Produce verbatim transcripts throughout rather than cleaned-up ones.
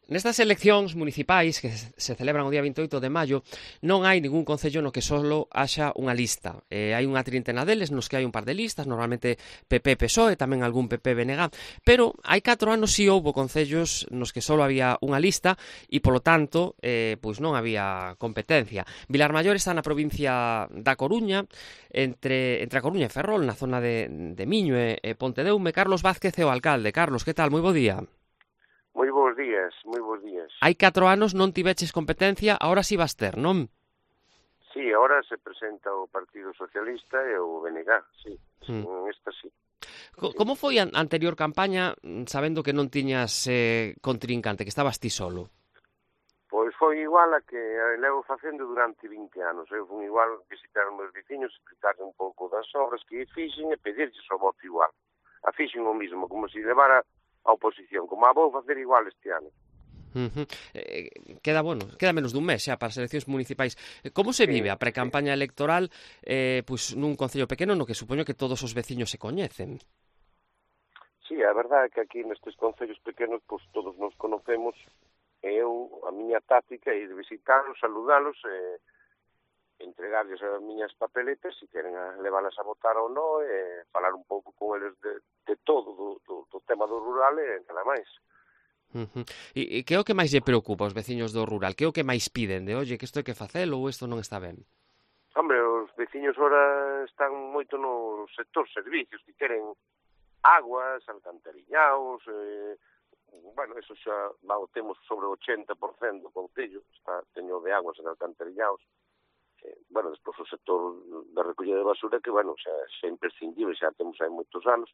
Nestas eleccións municipais que se celebran o día vinte e oito de maio non hai ningún concello no que solo haxa unha lista. Eh, hai unha trintena deles nos que hai un par de listas, normalmente P P P S O E, tamén algún P P B N G, pero hai catro anos si houbo concellos nos que solo había unha lista e, polo tanto, eh, pois non había competencia. Vilarmaior está na provincia da Coruña, entre, entre a Coruña e Ferrol, na zona de, de Miño e, e Pontedeume. Carlos Vázquez é o alcalde. Carlos, que tal? Moi bo día. Moi bons días, moi bons días. Hai catro anos non tiveches competencia, agora si vas ter, non? Sí, agora se presenta o Partido Socialista e o B N G, sí, mm. esta sí. Co como foi a anterior campaña, sabendo que non tiñas eh, contrincante, que estabas ti solo? Pois foi igual a que levo facendo durante vinte anos. Eu fui igual visitar os meus veciños, explicarle un pouco das obras que fixen e pedirlles o voto igual. A fixen o mismo, como se levara a oposición, como a vou facer igual este ano. Uh -huh. eh, queda, bueno, queda menos dun mes xa para as eleccións municipais. Como se vive sí, a precampaña sí. electoral eh, pois nun concello pequeno no que supoño que todos os veciños se coñecen? Sí, a verdade é que aquí nestes concellos pequenos pois todos nos conocemos e eu, a miña táctica é ir visitarlos, saludalos e entregarles as miñas papeletas se queren leválas a votar ou non e falar un pouco con eles de, de todo, do, do, do tema do rural e nada máis. Uh -huh. E, e que é o que máis lle preocupa aos veciños do rural? Que é o que máis piden? De, oye, que isto hai que facelo ou isto non está ben? Hombre, os veciños ora están moito no sector servicios, que queren aguas, alcantarillaos, eh, bueno, eso xa va, temos sobre o ochenta por cento do concello, está teño de aguas e de alcantarillaos. Eh, bueno, despois o sector da recollida de basura que, bueno, xa, xa é imprescindible, xa temos hai moitos anos.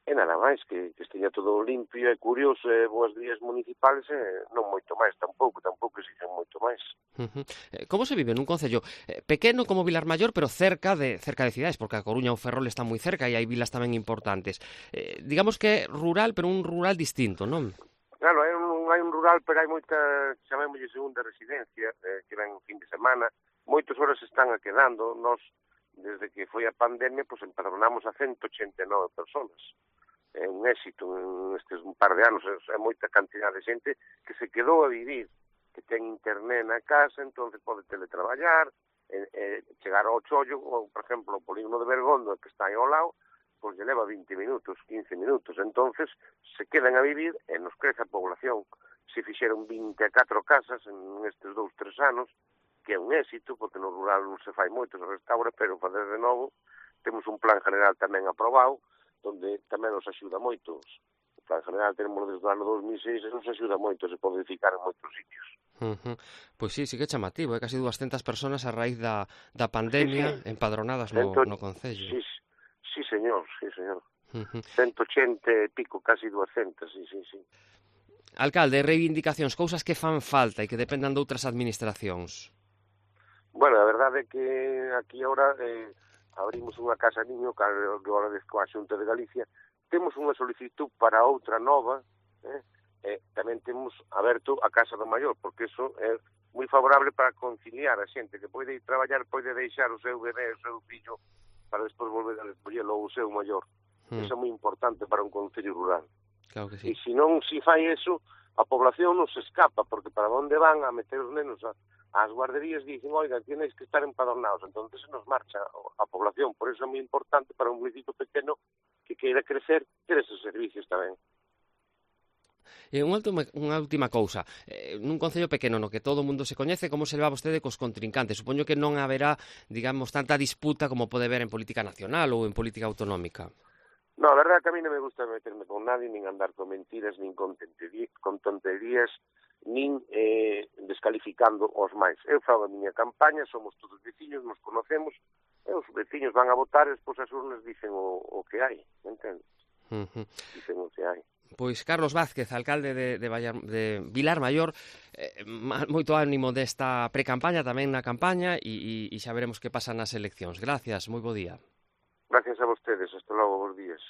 E nada máis, que, que esteña todo limpio e curioso e boas vías municipales e non moito máis, tampouco, tampouco exigen moito máis. Uh -huh. Como se vive nun concello eh, pequeno como Vilarmaior, pero cerca de cerca de cidades, porque a Coruña ou Ferrol está moi cerca e hai vilas tamén importantes. Eh, digamos que é rural, pero un rural distinto, non? Claro, hai un, hai un rural, pero hai moita, chamémoslle segunda residencia, eh, que ven un fin de semana, moitas horas están a quedando, nós, desde que foi a pandemia, pois empadronamos a ciento ochenta e nove personas. É un éxito nestes un par de anos, é moita cantidad de xente que se quedou a vivir, que ten internet na casa, entonces pode teletraballar, e, e chegar ao Chollo, ou, por exemplo, o polígono de Bergondo, que está aí ao lado, pois lle leva vinte minutos, quince minutos, entonces se quedan a vivir e nos crece a población. Se fixeron vinte e catro casas en estes dous, tres anos, que é un éxito, porque no rural non se fai moito, se restaura, pero fazer de novo, temos un plan general tamén aprobado, onde tamén nos axuda moito. O plan general tenemos desde o ano dos mil seis e nos axuda moito, se pode edificar en moitos sitios. Uh -huh. Pois sí, sí que é chamativo, é casi duascentas persoas a raíz da, da pandemia sí, sí. empadronadas no, Cento... no concello. Sí, sí, señor, sí, señor. Uh -huh. ciento ochenta e pico, casi duascentas, sí, sí, sí. Alcalde, reivindicacións, cousas que fan falta e que dependan de outras administracións. Bueno, a verdade é que aquí agora eh, abrimos unha casa niño que agora coa Xunta de Galicia, temos unha solicitud para outra nova, eh, e tamén temos aberto a Casa do Maior, porque iso é moi favorable para conciliar a xente que pode ir traballar, pode deixar o seu bebé, o seu fillo, para despois volver a recollelo o seu maior. Hmm. Iso é moi importante para un concello rural. Claro que sí. E se non se fai eso, a población non se escapa, porque para onde van a meter os nenos a as guarderías dicen, oiga, tenéis que estar empadronados, entonces se nos marcha a población, por eso é moi importante para un municipio pequeno que queira crecer, ter esos servicios tamén. E unha última, unha última cousa, eh, nun concello pequeno no que todo o mundo se coñece, como se leva vostede cos contrincantes? Supoño que non haberá, digamos, tanta disputa como pode haber en política nacional ou en política autonómica. No, a verdade é que a mí non me gusta meterme con nadie, nin andar con mentiras, nin con, con tonterías, nin eh, descalificando os máis. Eu fago a miña campaña, somos todos veciños, nos conocemos, e os veciños van a votar e despois as urnas dicen o, o que hai, entendes? Uh -huh. Dicen o que hai. Pois Carlos Vázquez, alcalde de, de, Vallar, de Vilarmaior, eh, moito ánimo desta precampaña, tamén na campaña, e, e, e xa veremos que pasa nas eleccións. Gracias, moi bo día. Gracias a vostedes, hasta logo, bons días.